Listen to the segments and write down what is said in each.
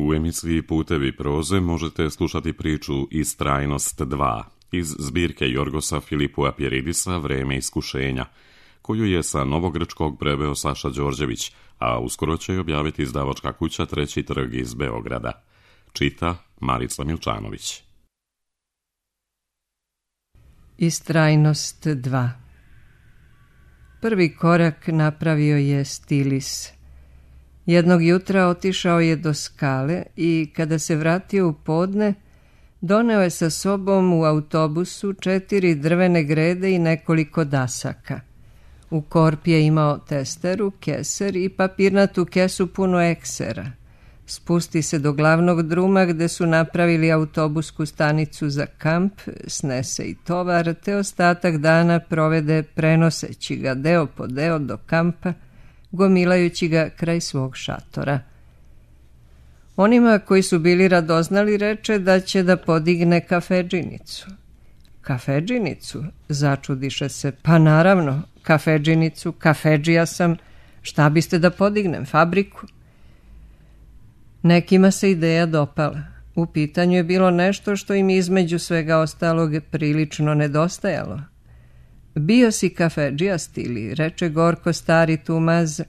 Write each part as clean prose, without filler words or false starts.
U emisiji Putevi proze možete slušati priču Istrajnost 2 iz zbirke Jorgosa Filipua Pjeridisa Vreme iskušenja, koju je sa novogrčkog preveo Saša Đorđević, a uskoro će je objaviti izdavačka kuća Treći trg iz Beograda. Čita Marica Milčanović. Istrajnost 2. Prvi korak napravio je Stilis. Jednog jutra otišao je do skale i kada se vratio u podne, doneo je sa sobom u autobusu 4 drvene grede i nekoliko dasaka. U korpi je imao testeru, keser i papirnatu kesu puno eksera. Spusti se do glavnog druma gde su napravili autobusku stanicu za kamp, snese i tovar, te ostatak dana provede prenoseći ga deo po deo do kampa, gomilajući ga kraj svog šatora. Onima koji su bili radoznali reče da će da podigne kafedžinicu. Kafedžinicu? Začudiše se. Pa naravno, kafedžinicu, kafedžija sam. Šta biste da podignem, fabriku? Nekima se ideja dopala. U pitanju je bilo nešto što im između svega ostalog prilično nedostajalo. Bio si kafedžija, Stili, reče gorko stari Tumaz,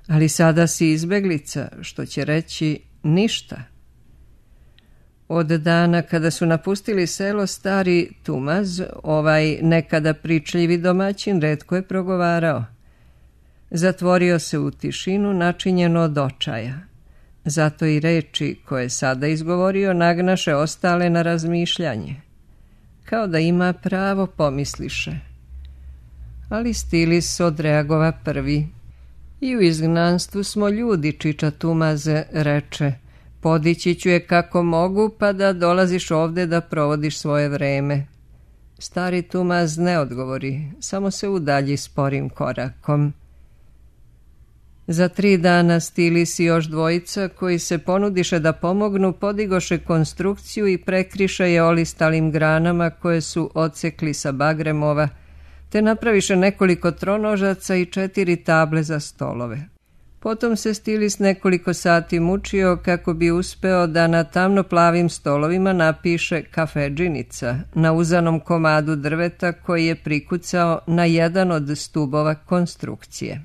ali sada si izbeglica, što će reći ništa. Od dana kada su napustili selo, stari Tumaz, ovaj nekada pričljivi domaćin, retko je progovarao. Zatvorio se u tišinu načinjeno od očaja. Zato i reči koje je sada izgovorio nagnaše ostale na razmišljanje. Kao da ima pravo, pomisliše. Ali Stilis odreagova prvi. I u izgnanstvu smo ljudi, čiča Tumaze, reče. Podići ću je kako mogu, pa da dolaziš ovde da provodiš svoje vreme. Stari Tumaz ne odgovori, samo se udalji sporim korakom. Za 3 dana Stilis i još dvojica, koji se ponudiše da pomognu, podigoše konstrukciju i prekriše je olistalim granama koje su odsekli sa bagremova, te napraviše nekoliko tronožaca i 4 table za stolove. Potom se Stilis nekoliko sati mučio kako bi uspeo da na tamno plavim stolovima napiše kafedžinica na uzanom komadu drveta koji je prikucao na jedan od stubova konstrukcije.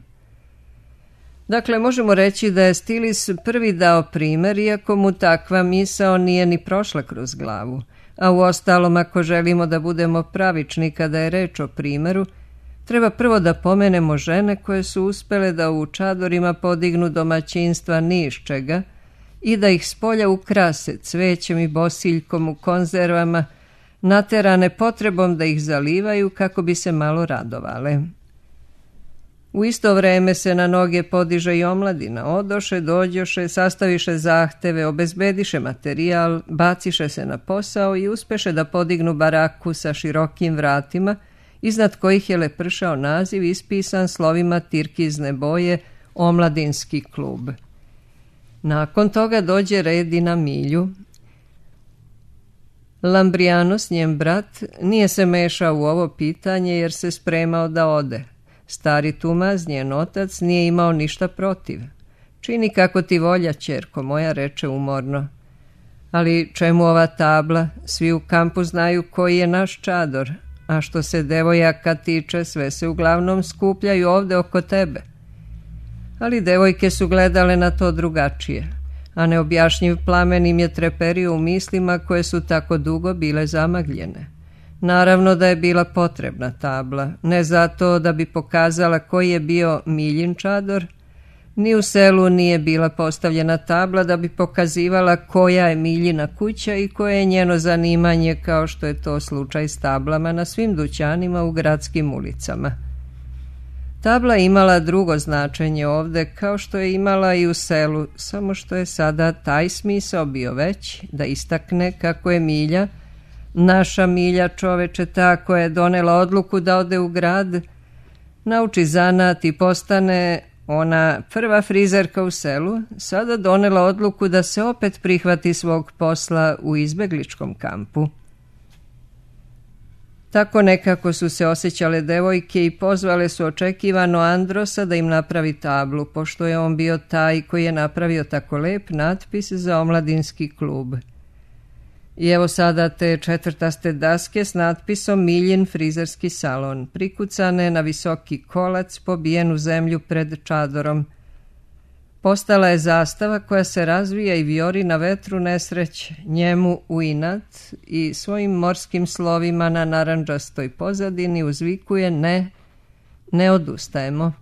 Dakle, možemo reći da je Stilis prvi dao primer, iako mu takva misao nije ni prošla kroz glavu. A u ostalom, ako želimo da budemo pravični kada je reč o primeru, treba prvo da pomenemo žene koje su uspele da u čadorima podignu domaćinstva ni iz čega i da ih spolja ukrase cvećem i bosiljkom u konzervama, naterane potrebom da ih zalivaju kako bi se malo radovale. U isto vreme se na noge podiže i omladina. Odoše, dođoše, sastaviše zahteve, obezbediše materijal, baciše se na posao i uspeše da podignu baraku sa širokim vratima, iznad kojih je lepršao naziv ispisan slovima tirkizne boje Omladinski klub. Nakon toga dođe red i na Milju. Lambrijanos, njen brat, nije se mešao u ovo pitanje jer se spremao da ode. Stari Tumaz, njen otac, nije imao ništa protiv. Čini kako ti volja, ćerko moja, reče umorno. Ali čemu ova tabla? Svi u kampu znaju koji je naš čador, a što se devojaka tiče, sve se uglavnom skupljaju ovde oko tebe. Ali devojke su gledale na to drugačije, a neobjašnjiv plamen im je treperio u mislima koje su tako dugo bile zamagljene. Naravno da je bila potrebna tabla, ne zato da bi pokazala koji je bio Miljin čador, ni u selu nije bila postavljena tabla da bi pokazivala koja je Miljina kuća i koje je njeno zanimanje, kao što je to slučaj s tablama na svim dućanima u gradskim ulicama. Tabla je imala drugo značenje ovde, kao što je imala i u selu, samo što je sada taj smisao bio veći, da istakne kako je Milja, naša Milja, čoveče, ta koja je donela odluku da ode u grad, nauči zanat i postane ona prva frizerka u selu, sada donela odluku da se opet prihvati svog posla u izbegličkom kampu. Tako nekako su se osjećale devojke i pozvale su očekivano Androsa da im napravi tablu, pošto je on bio taj koji je napravio tako lep natpis za omladinski klub. I evo sada te četvrtaste daske s natpisom Miljin frizerski salon, prikucane na visoki kolac pobijen u zemlju pred čadorom. Postala je zastava koja se razvija i vijori na vetru nesreće, njemu u inat i svojim morskim slovima na narandžastoj pozadini uzvikuje ne odustajemo.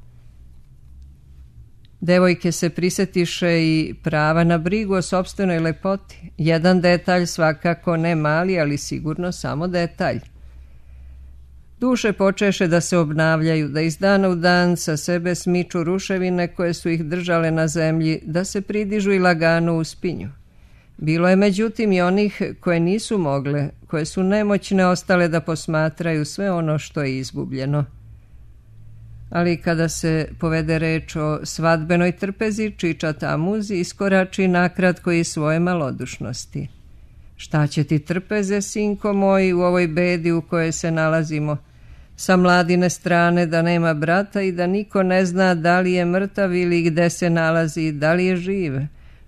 Devojke se prisetiše i prava na brigu o sopstvenoj lepoti. Jedan detalj, svakako ne mali, ali sigurno samo detalj. Duše počeše da se obnavljaju, da iz dana u dan sa sebe smiču ruševine koje su ih držale na zemlji, da se pridižu i lagano uspinju. Bilo je međutim i onih koje nisu mogle, koje su nemoćne ostale da posmatraju sve ono što je izgubljeno. Ali kada se povede reč o svadbenoj trpezi, Čiča Tamuz iskorači nakratko iz svoje malodušnosti. Šta će ti trpeze, sinko moj, u ovoj bedi u kojoj se nalazimo? Sa mladine strane da nema brata i da niko ne zna da li je mrtav ili gde se nalazi, da li je živ.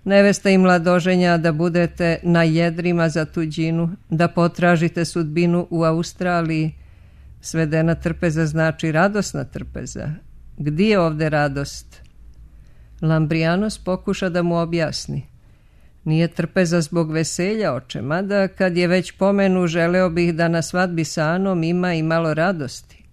Nevesta i mladoženja da budete na jedrima za tuđinu, da potražite sudbinu u Australiji. Svedena trpeza znači radosna trpeza. Gdje je ovde radost? Lambrijanos pokuša da mu objasni. Nije trpeza zbog veselja, oče, mada kad je već pomenu, želeo bih da na svadbi sa Anom ima i malo radosti.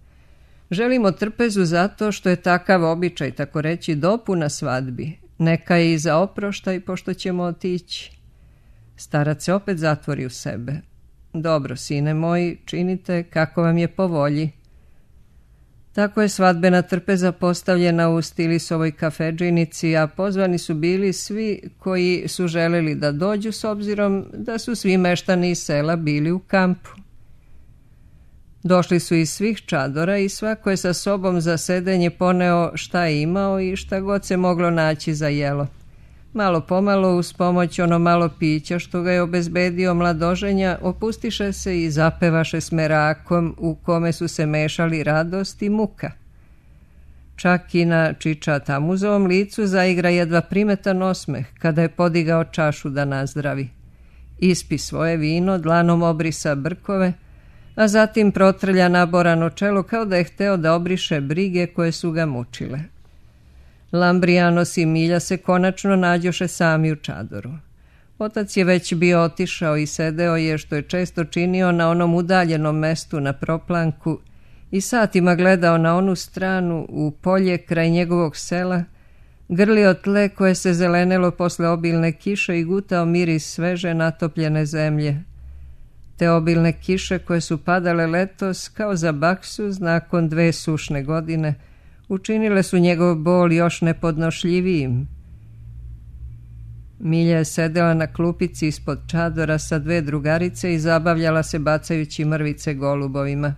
Želimo trpezu zato što je takav običaj, tako reći, dopuna svadbi. Neka je i za oproštaj, pošto ćemo otići. Starac se opet zatvori u sebe. Dobro, sine moji, činite kako vam je po volji. Tako je svadbena trpeza postavljena u Stilisovoj kafedžinici, a pozvani su bili svi koji su želeli da dođu s obzirom da su svi meštani iz sela bili u kampu. Došli su iz svih čadora i svako je sa sobom za sedenje poneo šta je imao i šta god se moglo naći za jelo. Malo pomalo, uz pomoć ono malo pića što ga je obezbedio mladoženja, opustiše se i zapevaše s merakom u kome su se mešali radost i muka. Čak i na Čiča Tamuzovom licu zaigra jedva primetan osmeh kada je podigao čašu da nazdravi. Ispi svoje vino, dlanom obrisa brkove, a zatim protrlja naborano čelo kao da je hteo da obriše brige koje su ga mučile. Lambrijanos i Milja se konačno nađoše sami u čadoru. Otac je već bio otišao i sedeo je, što je često činio, na onom udaljenom mestu na proplanku i satima gledao na onu stranu u polje kraj njegovog sela, grlio tle koje se zelenelo posle obilne kiše i gutao miris sveže natopljene zemlje. Te obilne kiše koje su padale letos kao za baksuz nakon 2 sušne godine, učinile su njegov bol još nepodnošljivijim. Milja je sedela na klupici ispod čadora sa 2 drugarice i zabavljala se bacajući mrvice golubovima.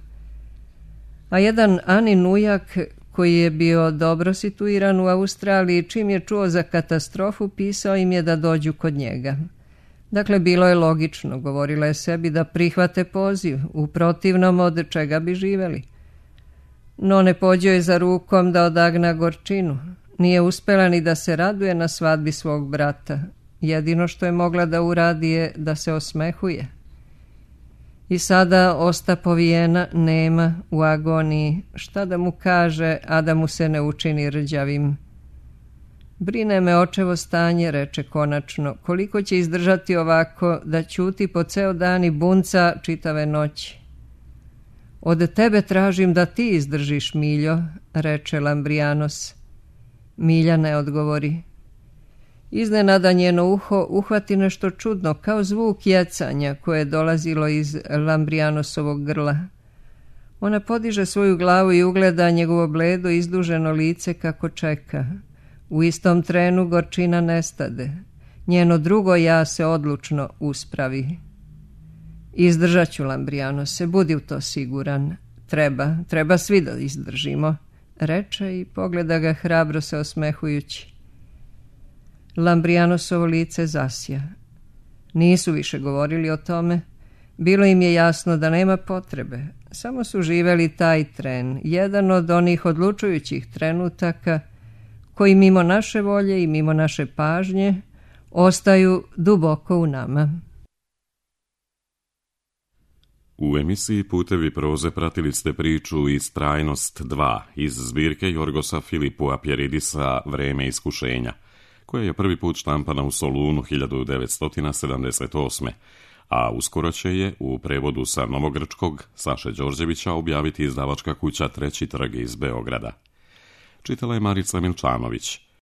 A jedan Anin ujak, koji je bio dobro situiran u Australiji, čim je čuo za katastrofu, pisao im je da dođu kod njega. Dakle, bilo je logično, govorila je sebi, da prihvate poziv, u protivnom od čega bi živeli. No ne pođo je za rukom da odagna gorčinu. Nije uspela ni da se raduje na svadbi svog brata. Jedino što je mogla da uradi je da se osmehuje. I sada osta povijena, nema, u agoniji. Šta da mu kaže, a da mu se ne učini rđavim? Brine me očevo stanje, reče konačno. Koliko će izdržati ovako, da ćuti po ceo dan i bunca čitave noći? Od tebe tražim da ti izdržiš, Miljo, reče Lambrijanos. Milja ne odgovori. Iznenada njeno uho uhvati nešto čudno, kao zvuk jecanja koje je dolazilo iz Lambrijanosovog grla. Ona podiže svoju glavu i ugleda njegovo bledo izduženo lice kako čeka. U istom trenu gorčina nestade. Njeno drugo ja se odlučno uspravi. Izdržat ću, Lambrijanose, budi u to siguran. Treba svi da izdržimo, reče i pogleda ga hrabro se osmehujući. Lambrianosovo lice zasja. Nisu više govorili o tome. Bilo im je jasno da nema potrebe, samo su živeli taj tren, jedan od onih odlučujućih trenutaka koji mimo naše volje i mimo naše pažnje ostaju duboko u nama. U emisiji Putevi proze pratili ste priču Istrajnost 2 iz zbirke Jorgosa Filipua Pjeridisa Vreme iskušenja, koja je prvi put štampana u Solunu 1978. A uskoro će je u prevodu sa novogrčkog Saše Đorđevića objaviti izdavačka kuća Treći trg iz Beograda. Čitala je Marica Milčanović.